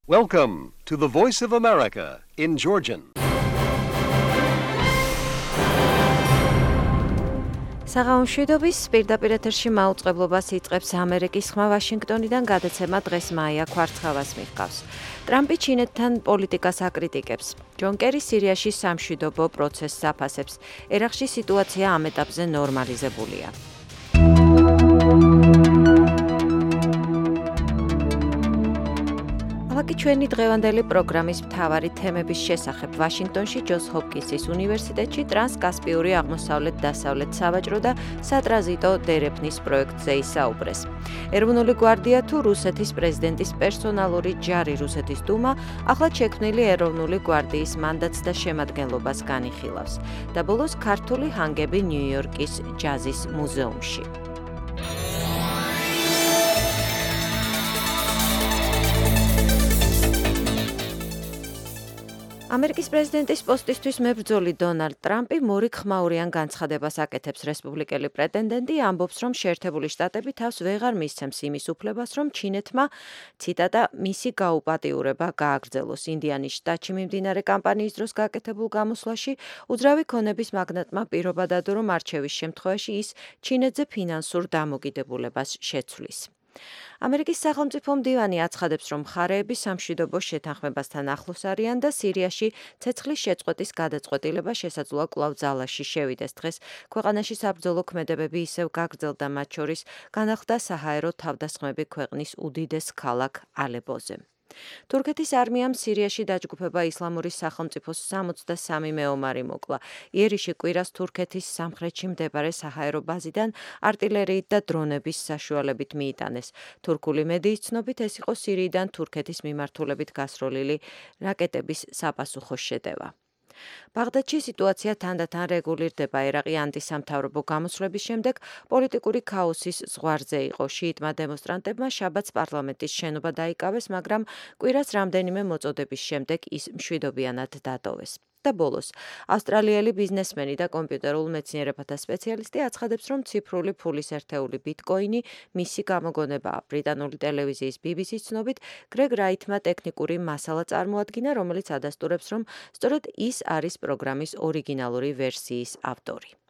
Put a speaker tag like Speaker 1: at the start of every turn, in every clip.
Speaker 1: Welcome to the Voice of America in Georgian.
Speaker 2: საღამომშვიდობის პირდაპირ ეთერში მაუწყებლობას იწყებს ამერიკის ხმა ვაშინგტონიდან გადაცემა დღეს მაია ქვარცხავას მიჰყავს. ტრამპი ჩინეთთან პოლიტიკას აკრიტიკებს. ჯონ კერი სირიაში სამშვიდობო პროცესს აფასებს. ერაყში სიტუაცია ამ ეტაპზე ნორმალიზებულია. ახლა ჩვენი დღევანდელი პროგრამის მთავარი თემების შესახებ ვაშინგტონში ჯონს ჰოპკინსის უნივერსიტეტში ტრანსკასპიური აღმოსავლეთ-დასავლეთ სავაჭრო და სატრანზიტო დერეფნის პროექტზე ისაუბრეს. ეროვნული გვარდია თუ რუსეთის პრეზიდენტის პერსონალური ჯარი რუსეთის დუმა ახლად შექმნილი ეროვნული გვარდიის მანდატს და შემადგენლობას განიხილავს და ბოლოს ქართული ჰანგები ნიუ-იორკის ჯაზის მუზეუმში. ამერიკის პრეზიდენტის პოსტისთვის მებრძოლი დონალდ ტრამპი მორიგ ხმაურიან განცხადებას აკეთებს. რესპუბლიკელი პრეტენდენტი ამბობს, რომ შეერთებული შტატები თავს ვეღარ მისცემს იმის უფლებას, რომ ჩინეთმა, ციტატა, მისი გაუპატიურება გააგრძელოს. ინდიანის შტატში მიმდინარე კამპანიის დროს გაკეთებულ გამოსვლაში უძრავი ქონების მაგნატმა პირობა დადო, რომ არჩევის შემთხვევაში ის ჩინეთზე ფინანსურ დამოკიდებულებას შეცვლის. ამერიკის სახელმწიფო მდივანი აცხადებს, რომ მხარეები სამშვიდობო შეთანხმებასთან ახლოს არიან და სირიაში ცეცხლის შეწყვეტის გადაწყვეტილება შესაძლოა კვლავ ძალაში შევიდეს. დღეს ქვეყანაში საბრძოლო ქმედებები ისევ გაგრძელდა, მათ შორის განახლდა საჰაერო თავდასხმები ქვეყნის უდიდეს ქალაქ ალეპოზე. თურქეთის არმიამ სირიაში დაჯგუფება ისლამური სახელმწიფოს 63 მეომარი მოკლა. იერიში კვირას თურქეთის სამხრეთში მდებარე საჰაერო ბაზიდან არტილერიით და დრონების საშუალებით მიიტანეს. თურქული მედიის ცნობით ეს იყო სირიიდან თურქეთის მიმართულებით გასროლილი რაკეტების საპასუხო შეტევა. ბაღდადში სიტუაცია თანდათან რეგულირდება. ერაყი ანტისამთავრობო გამოსვლების შემდეგ პოლიტიკური ქაოსის ზღვარზე იყო. შიიტმა დემონსტრანტებმა შაბათს პარლამენტის შენობა დაიკავეს, მაგრამ კვირას რამდენიმე მოწოდების შემდეგ ის მშვიდობიანად დატოვეს. და ბოლოს, ავსტრალიელი ბიზნესმენი და კომპიუტერულ მეცნიერებათა სპეციალისტი აცხადებს, რომ ციფრული ფულის ერთეული ბიტკოინი მისი გამოგონებაა. ბრიტანული ტელევიზიის BBC-ს ცნობით, გრეგ რაითმა ტექნიკური მასალა წარმოადგინა, რომელიც ადასტურებს, რომ სწორედ ის არის პროგრამის ორიგინალური ვერსიის ავტორი.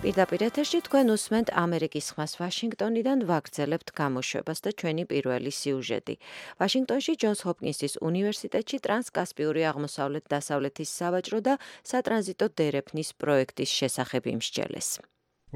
Speaker 2: პირდაპირ ეთერში თქვენ უსმენთ ამერიკის ხმას ვაშინგტონიდან ვაგრძელებთ გამოშვებას და ჩვენი პირველი სიუჟეტი. ვაშინგტონში ჯონს ჰოპკინსის უნივერსიტეტში ტრანსკასპიური აღმოსავლეთ-დასავლეთის სავაჭრო და სატრანზიტო დერეფნის პროექტის შესახებ იმსჯელეს.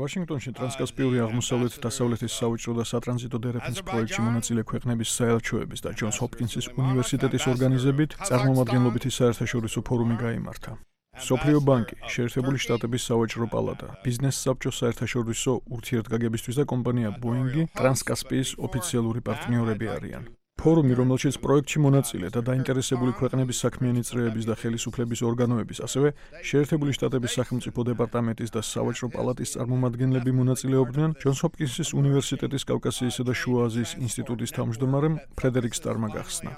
Speaker 3: ვაშინგტონში ტრანსკასპიური აღმოსავლეთ-დასავლეთის სავაჭრო და სატრანზიტო დერეფნის პროექტში მონაწილე ქვეყნების საელჩოების და ჯონს ჰოპკინსის უნივერსიტეტის ორგანიზებით წარმომადგენლობითი საერთაშორისო ფორუმი გაიმართა. მსოფლიო ბანკი, შეერთებული შტატების სავაჭრო პალატა, ბიზნეს საბჭოს საერთაშორისო ურთიერთგაგებისთვის და კომპანია ბოინგი ტრანსკასპიის ოფიციალური პარტნიორები არიან. ფორუმი, რომელშიც პროექტში მონაწილე და დაინტერესებული ქვეყნების საქმიანი წრეების და ხელისუფლების ორგანოების, ასევე შეერთებული შტატების სახელმწიფო დეპარტამენტის და სავაჭრო პალატის წარმომადგენლები მონაწილეობდნენ, ჯონს ჰოპკინსის უნივერსიტეტის კავკასიისა და შუა აზიის ინსტიტუტის თავმჯდომარემ ფრედერიკ სტარმა გახსნა.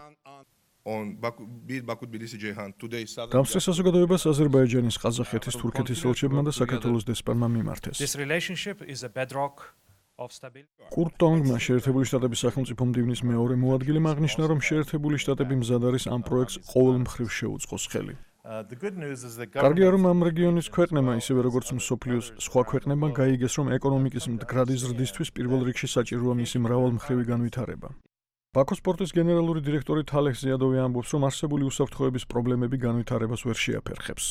Speaker 3: დამსწრე საზოგადოებას აზერბაიჯანის, ყაზახეთის, თურქეთის ელჩებმა და საქართველოს დესპანმა მიმართეს. კურტ ტონგმა, შეერთებული შტატების სახელმწიფო მდივნის მეორე მოადგილემ აღნიშნა, რომ შეერთებული შტატები მზად არის ამ პროექტს ყოველ მხრივ შეუწყოს ხელი. კარგია, რომ ამ რეგიონის ქვეყნებმა, ისევე როგორც მსოფლიოს სხვა ქვეყნებმა, გაიგეს, რომ ეკონომიკის მდგრადი ზრდისთვის პირველ რიგში საჭიროა მისი მრავალმხრივი განვითარება. ბაქოს პორტის გენერალური დირექტორი თალეხ ზიადოვი ამბობს, რომ არსებული უსაფრთხოების პრობლემები განვითარებას ვერ შეაფერხებს.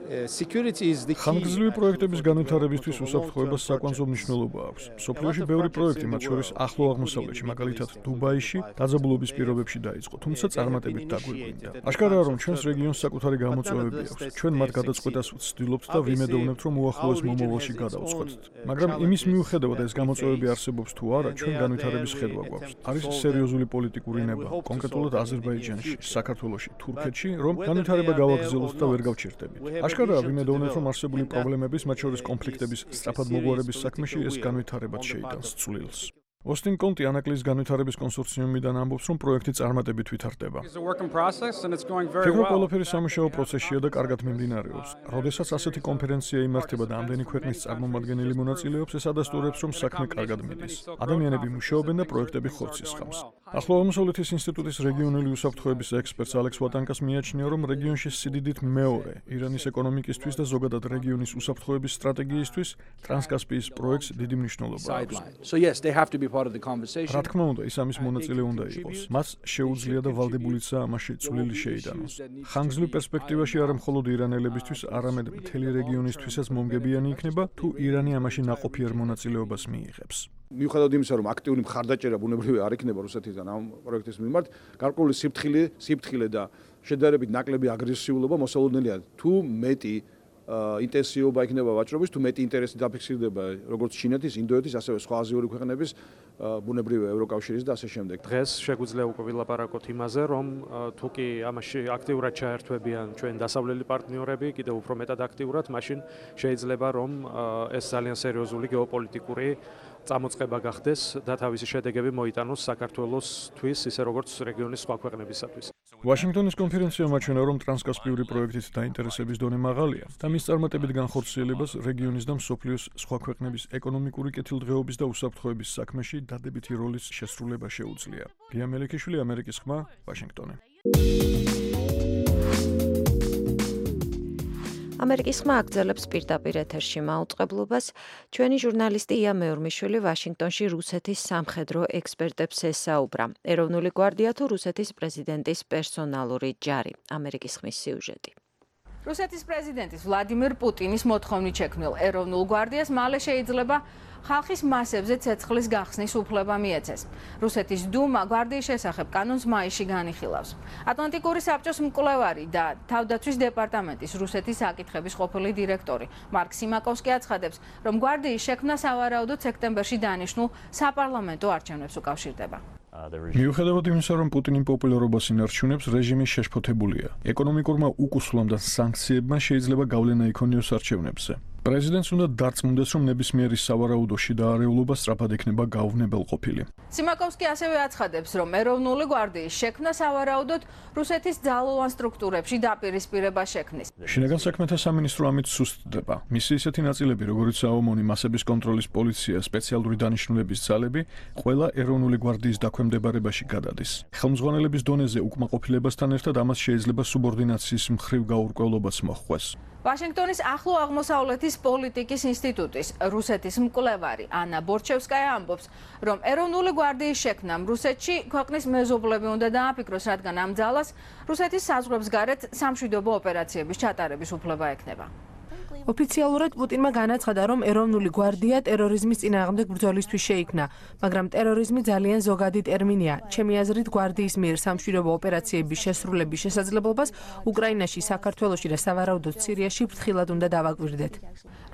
Speaker 3: ხანგრძლივი პროექტების განვითარებისთვის უსაფრთხოებას საკვანძო მნიშვნელობა აქვს. მსოფლიოში ბევრი პროექტი, მათ შორის ახლო აღმოსავლეთში, მაგალითად დუბაიში, დაძაბულობის პირობებში დაიწყო, თუმცა წარმატებით დაგვირგვინდა. აშკარაა, რომ ჩვენს რეგიონს საკუთარი გამოწვევები აქვს. ჩვენ მათ გადაწყვეტას ვცდილობთ და ვიმედოვნებთ, რომ უახლოეს მომავალში გადავწყვეტთ. მაგრამ იმის მიუხედავად ეს გამოწვევები არსებობს თუ არა, ჩვენ განვითარების ხედვა გვაქვს. არის სერიოზული პოლიტიკური ნება, კონკრეტულად აზერბაიჯანში, საქართველოში, თურქეთში, რომ განვითარება გავაგრძელოთ და ვერ გავჩერდებით. აშკარაა, ვიმედოვნებთ, რომ არსებული პრობლემების, მათ შორის კონფლიქტების სწრაფად მოგვარების საქმეში ეს განვითარებაც შეიტანს წვლილს. ოსტინ კონტი ანაკლის განვითარების კონსორციუმიდან ამბობს, რომ პროექტი წარმატებით ვითარდება. ფიქრობ, ყველაფერი სამუშაო პროცესშია და კარგად მიმდინარეობს. როდესაც ასეთი კონფერენცია იმართება და ამდენი ქვეყნის წარმომადგენელი მონაწილეობს, ეს ადასტურებს, რომ საქმე კარგად მიდის. ადამიანები მუშაობენ და პროექტები ხორცს ისხამს. ახლო აღმოსავლეთის ინსტიტუტის რეგიონული უსაფრთხოების ექსპერტს ალექს ვატანკას მიაჩნია, რომ რეგიონში სიდიდით მეორე ირანის ეკონომიკისთვის და ზოგადად რეგიონის უსაფრთხოების სტრატეგიისთვის ტრანსკასპიის პროექტს დიდი მნიშვნელობა აქვს. რა თქმა უნდა, ის ამის მონაწილე უნდა იყოს. მას შეუძლია და ვალდებულიცაა ამაში წვლილი შეიტანოს. ხანგრძლივ პერსპექტივაში არა მხოლოდ ირანელებისთვის, არამედ მთელი რეგიონისთვისაც მომგებიანი იქნება, თუ ირანი ამაში ნაყოფიერ მონაწილეობას მიიღებს.
Speaker 4: მიუხედავად იმისა, რომ აქტიური მხარდაჭერა ბუნებრივია არ იქნება რუსეთიდან ამ პროექტის მიმართ, გარკვეული სიფრთხილე და შედარებით ნაკლები აგრესიულობა მოსალოდნელია. თუ მეტი ინტენსივობა იქნება ვაჭრობის, თუ მეტი ინტერესი დაფიქსირდება როგორც ჩინეთის, ინდოეთის, ასევე სხვა აზიური ქვეყნების, ბუნებრივია ევროკავშირის და ასე შემდეგ.
Speaker 5: დღეს შეგვიძლია უკვე ვილაპარაკოთ იმაზე, რომ თუ კი ამაში აქტიურად ჩაერთვებიან ჩვენ დასავლელი პარტნიორები, კიდევ უფრო მეტად აქტიურად, მაშინ შეიძლება რომ ეს ძალიან სერიოზული გეოპოლიტიკური წამოწყება გახდეს და თავისი შედეგები მოიტანოს საქართველოსთვის, ისე როგორც რეგიონის სხვა ქვეყნებისათვის.
Speaker 3: ვაშინგტონის კონფერენცია მაჩვენა, რომ ტრანსკასპიური პროექტით დაინტერესების დონე მაღალია და მის წარმატებით განხორციელებას რეგიონის და მსოფლიოს სხვა ქვეყნების ეკონომიკური კეთილდღეობის და უსაფრთხოების საქმეში დადებითი როლის შესრულება შეუძლია. გია მელიქიშვილი, ამერიკის ხმა, ვაშინგტონი.
Speaker 2: ამერიკის ხმა აგრძელებს პირდაპირ ეთერში მაუწყებლობას. ჩვენი ჟურნალისტი ია მეორმიშვილი ვაშინგტონში რუსეთის სამხედრო ექსპერტებს ესაუბრა. ეროვნული გვარდია თუ რუსეთის პრეზიდენტის პერსონალური ჯარი. ამერიკის ხმის სიუჟეტი.
Speaker 6: რუსეთის პრეზიდენტის ვლადიმირ პუტინის მოთხოვნით შექმნილ ეროვნულ გვარდიას მალე შეიძლება ხალხის მასებზე ცეცხლის გახსნის უფლება მიეცეს. რუსეთის დუმა გვარდიის შესახებ კანონს მაისში განიხილავს. ატლანტიკური საბჭოს მკვლევარი და თავდაცვის დეპარტამენტის რუსეთის საკითხების ყოფილი დირექტორი მარკ სიმაკოვსკი აცხადებს, რომ გვარდიის შექმნა სავარაუდოდ სექტემბერში დანიშნულ საპარლამენტო არჩევნებს უკავშირდება.
Speaker 3: მიუხედავად იმისა, რომ პუტინი პოპულარობას ინარჩუნებს, რეჟიმი შეშფოთებულია. ეკონომიკურმა უკუსლამ და სანქციებმა შეიძლება გავლენა იქონიოს არჩევნებზე. პრეზიდენტს უნდა დარწმუნდეს, რომ ნებისმიერი სავარაუდოში და არეულობა სწრაფად იქნება გაუვნებელყოფილი.
Speaker 6: სიმაკოვსკი ასევე აცხადებს, რომ ეროვნული გვარდიის შექმნა სავარაუდოდ რუსეთის ძალოვან სტრუქტურებში დაპირისპირება შექმნის.
Speaker 3: შინაგან საქმეთა სამინისტრო ამით სუსტდება. მისი ისეთი ნაწილები, როგორიცაა ომონი, მასების კონტროლის პოლიცია, სპეციალური დანიშნულების ძალები, ყველა ეროვნული გვარდიის დაქვემდებარებაში გადადის. ხელმძღვანელების დონეზე უკმაყოფილებასთან ერთად ამას შეიძლება სუბორდინაციის მხრივ გაურკვევლობაც მოჰყვეს.
Speaker 6: ვაშინგტონის ახლო აღმოსავლეთის პოლიტიკის ინსტიტუტის რუსეთის მკვლევარი ანა ბორჩევსკაია ამბობს, რომ ეროვნული გვარდიის შექმნამ რუსეთში ქვეყნის მეზობლები უნდა დააფიქროს, რადგან ამ ძალას რუსეთის საზღვრებს გარეთ სამშვიდობო ოპერაციების ჩატარების უფლება ექნება.
Speaker 7: ოფიციალურად პუტინმა განაცხადა, რომ ეროვნული გვარდია ტერორიზმის წინააღმდეგ ბრძოლისთვის შეიქმნა, მაგრამ ტერორიზმი ძალიან ზოგადი ტერმინია. ჩემი აზრით, გვარდიის მიერ სამშვიდობო ოპერაციების შესრულების შესაძლებლობას უკრაინაში, საქართველოში და სავარაუდოდ სირიაში ფრთხილად უნდა დავაკვირდეთ.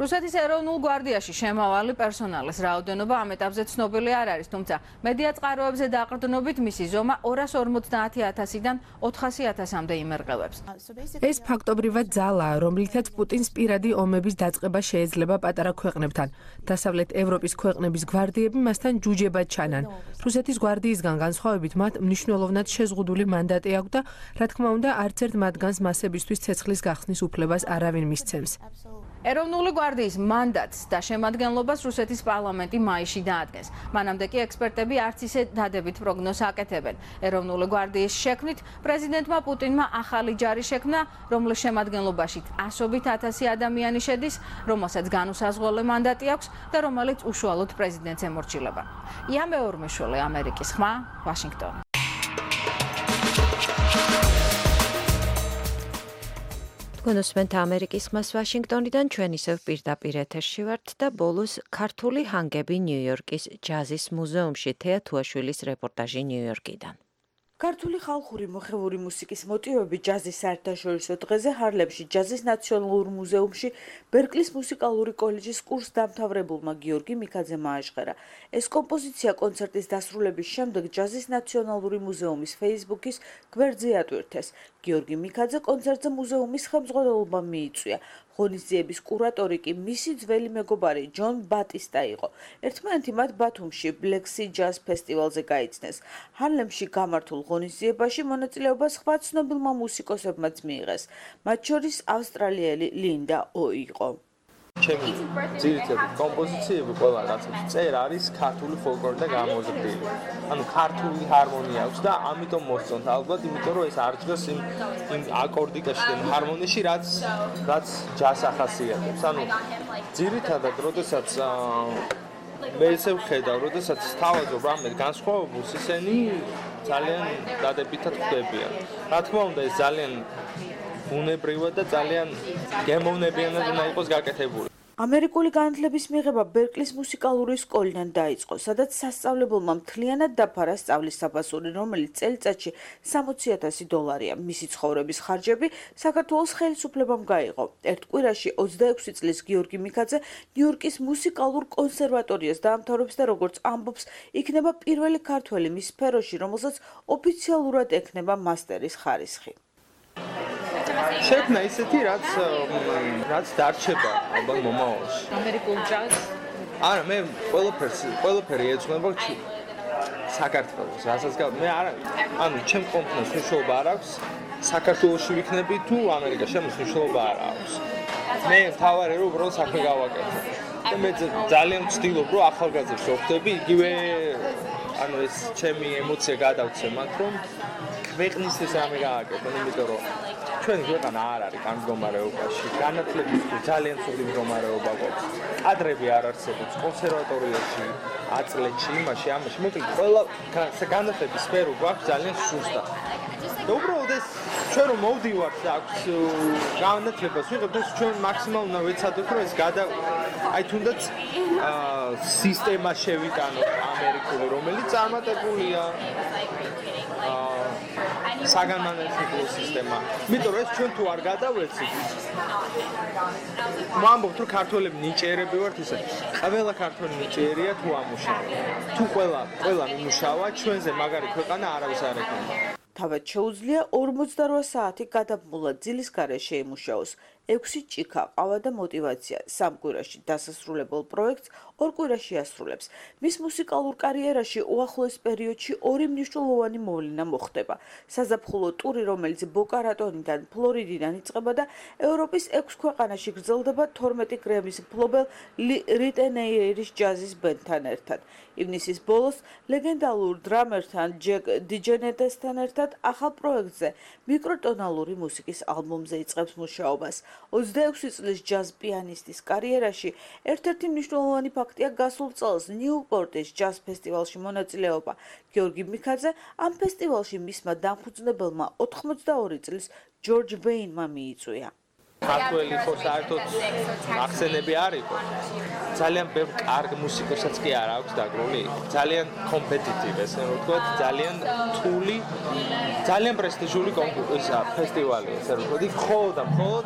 Speaker 6: რუსეთის ეროვნულ გვარდიაში შემავალი პერსონალის რაოდენობა ამ ეტაპზე ცნობილი არ არის, თუმცა მედია წყაროებზე დაყრდნობით მისი ზომა 250,000-დან 400,000-მდე იმერყევებს.
Speaker 7: ეს ფაქტობრივად ძალაა, რომლითაც პუტინს პირადი ომების დაწყება შეიძლება პატარა ქვეყნებთან. დასავლეთ ევროპის ქვეყნების გვარდიები მასთან ჯუჯებად ჩანან. რუსეთის გვარდიისგან განსხვავებით მათ მნიშვნელოვნად შეზღუდული მანდატი აქვს და რა თქმა უნდა, არც ერთ მათგანს მასებისთვის ცეცხლის გახსნის უფლებას არავინ მისცემს.
Speaker 6: ეროვნული გვარდიის მანდატს და შემადგენლობას რუსეთის პარლამენტი მაისში დაადგენს. მანამდე კი ექსპერტები არც ისე დადებით პროგნოზს აკეთებენ. ეროვნული გვარდიის შექმნით პრეზიდენტმა პუტინმა ახალი ჯარი შექმნა, რომლის შემადგენლობაში 100,000 ადამიანი შედის, რომელსაც განუსაზღვრელი მანდატი აქვს და რომელიც უშუალოდ პრეზიდენტს ემორჩილება. ია მეორმიშვილი, ამერიკის ხმა, ვაშინგტონი.
Speaker 2: გონოსმენთ ამერიკის ხმას ვაშინგტონიდან, ჩვენ ისევ პირდაპირ ეთერში ვართ და ბოლოს ქართული ჰანგები ნიუ-იორკის ჯაზის მუზეუმში. თეა თუაშვილის რეპორტაჟი ნიუ-იორკიდან.
Speaker 8: ქართული ხალხური მოხევური მუსიკის მოტივები ჯაზის საერთაშორისო დღეზე ჰარლემში ჯაზის ნაციონალურ მუზეუმში ბერკლის მუსიკალური კოლეჯის კურსდამთავრებულმა გიორგი მიქაძემ ააშხერა. ეს კომპოზიცია კონცერტის დასრულების შემდეგ ჯაზის ნაციონალური მუზეუმის Facebook-ის გვერდზე ატვირთეს. გიორგი მიქაძე კონცერტზე მუზეუმის ხელმძღვანელობა მიიწვია. ღონისძიების კურატორი კი მისი ძველი მეგობარი ჯონ ბატისტა იყო. ერთმანეთი მათ ბათუმში Black Sea Jazz ფესტივალზე გაიცნეს. ჰარლემში გამართულ ღონისძიებაში მონაწილეობა სხვა ცნობილმა მუსიკოსებმაც მიიღეს. მათ შორის ავსტრალიელი ლინდა ო იყო.
Speaker 9: ჩემი ძირითადი კომპოზიციები ყველა რაღაცებს წერ არის ქართული ფოლკლორი და გამოზრდილი. ანუ ქართული ჰარმონია აქვს და ამიტომ მოსწონთ ალბათ, იმიტომ რომ ეს არ ჭრეს იმ აკორდიკაში და ჰარმონიაში, რაც ჯაზს ახასიათებს. ანუ ძირითადად, როდესაც მე ესე ვხედავ, როდესაც თავაზობ რამე განსხვავებულს, ისინი ძალიან დადებითად ხდებიან. რა თქმა უნდა, ეს ძალიან უნებრივად და ძალიან გემოვნებიანად უნდა იყოს გაკეთებული.
Speaker 8: ამერიკული განათლების მიღება ბერკლის მუსიკალური სკოლიდან დაიწყო, სადაც სასწავლებელმა მთლიანად დაფარა სწავლის საფასური, რომელიც წელიწადში $60,000-ია. მისი ცხოვრების ხარჯები საქართველოს ხელისუფლებამ გაიღო. ერთ კვირაში 26 წლის გიორგი მიქაძე ნიუ-იორკის მუსიკალურ კონსერვატორიას დაამთავრებს და როგორც ამბობს, იქნება პირველი ქართველი მის სფეროში, რომელსაც ოფიციალურად ექნება მასტერის ხარისხი.
Speaker 9: შექმნა ისეთი, რაც დარჩება ალბათ მომავალში.
Speaker 6: ამერიკულ ჯაზს?
Speaker 9: არა, მე ყველაფერი ეძღვნება საქართველოს. რასაც მე ანუ ჩემ კომპანიას მნიშვნელობა არ აქვს, საქართველოში ვიქნები თუ ამერიკაში, ამას მნიშვნელობა არ აქვს. მე თავარი რომ უბრალოდ საქმე გავაკეთო. და მე ძალიან ვცდილობ რომ ახალგაზრდებს ვხვდები, იგივე ანუ ეს ჩემი ემოცია გადავცე მათ რომ ქვეყნის ეს რამე გააკეთონ, იმიტომ რომ ჩვენი ქვეყანა არ არის კან მდგომარეობაში, განათლების ძალიან ცუდი მდგომარეობა გვაქვს. კადრები არ არსებობს კონსერვატორიაში, აწლეთში, იმაში, ამაში, მოკლედ ყველა განათლების სფერო გვაქვს ძალიან სუსტა. და უბრალოდ ეს ჩვენ რომ მოვდივართ და აქვს განათლებას ვიღებთ, ეს ჩვენ მაქსიმალურად უნდა ვეცადოთ, რომ ეს აი თუნდაც სისტემა შევიტანოთ ამერიკული, რომელიც წარმატებულია საგანმანათლებლო სისტემა. იმიტომ რომ ეს ჩვენ თუ არ გადავეცით, ვამბობთ რომ ქართველები ნიჭიერები ვართ ისე. ყველა ქართველი ნიჭიერია თუ ამუშავა. თუ ყველა მიმუშავა, ჩვენზე მაგარი ქვეყანა არავის არ ექნება.
Speaker 8: თავად შეუძლია 48 საათი გადაბმულად ძილის გარე შეიმუშაოს. 6 ჭიქა, ყავა და მოტივაცია. 3 კვირაში დასასრულებელ პროექტს 2 კვირაში ასრულებს. მის მუსიკალურ კარიერაში უახლოეს პერიოდში 2 მნიშვნელოვანი მოვლენა მოხდება. საზაფხულო ტური, რომელიც ბოკა რატონიდან, ფლორიდიდან იწყება და ევროპის 6 ქვეყანაში გრძელდება 12 გრემის მფლობელ რიტენეირის ჯაზის ბენდთან ერთად. ივნისის ბოლოს ლეგენდალურ დრამერთან ჯეკ დიჯენეტესთან ერთად ახალ პროექტზე მიკროტონალური მუსიკის ალბომზე იწყებს მუშაობას. 26 წლის ჯაზ პიანისტის კარიერაში ერთ-ერთი მნიშვნელოვანი ფაქტია გასულ წელს ნიუპორტის ჯაზ ფესტივალში მონაწილეობა. გიორგი მიქაძე ამ ფესტივალში მისმა დამფუძნებელმა 82 წლის ჯორჯ ვეინმა მიიწვია.
Speaker 9: ქართველი ხო საერთოდ ახსენები არ იყო. ძალიან ბევრ კარგ მუსიკოსაც კი არ აქვს დაგრული. ძალიან კომპეტიტივ, ესე რომ ვთქვათ, ძალიან რთული, ძალიან პრესტიჟული კონკურსია, ფესტივალია, ესე რომ ვთქვათ, მხოლოდ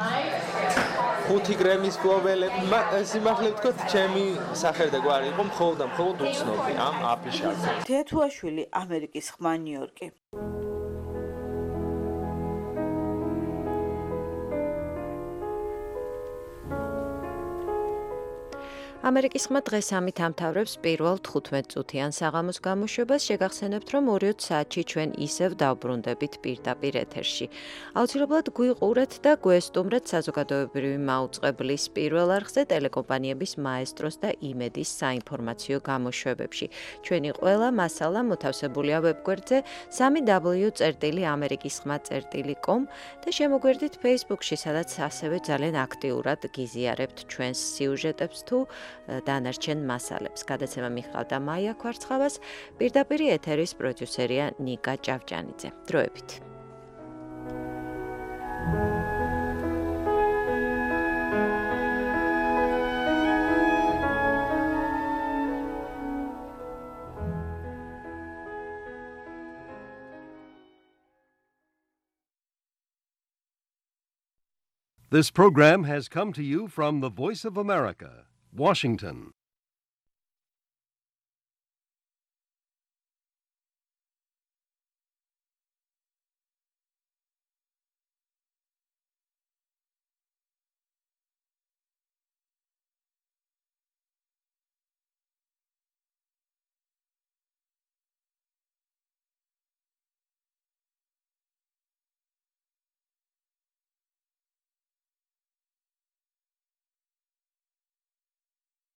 Speaker 9: 5 გრემის მფლობელები, სიმართლე ვთქვათ, ჩემი სახელი და გვარი იყო მხოლოდ უცნობი ამ აფიშაზე.
Speaker 8: თეთუაშვილი, ამერიკის ხმა, ნიუ-იორკი.
Speaker 2: ამერიკის ხმა დღეს ამით ამთავრებს პირველ 15 წუთიან საღამოს გამოშვებას. შეგახსენებთ, რომ 2 საათში ჩვენ ისევ დავბრუნდებით პირდაპირ ეთერში. აუცილებლად გვიყურეთ და გვესტუმრეთ საზოგადოებრივი მაუწყებლის პირველ არხზე, ტელეკომპანიების მაესტროს და იმედის საინფორმაციო გამოშვებებში. ჩვენი ყველა მასალა მოთავსებულია ვებგვერდზე www.amerikiskhma.com და შემოგვერდით Facebook-ში, სადაც ასევე ძალიან აქტიურად გიზიარებთ ჩვენს სიუჟეტებს თუ დანარჩენ მასალებს. გადაცემა მიჰყავდა მაია ქვარცხავას, პირდაპირ ეთერის პროდიუსერია ნიკა ჭავჭანიძე. დროებით.
Speaker 1: This program has come to you from the Voice of America, Washington.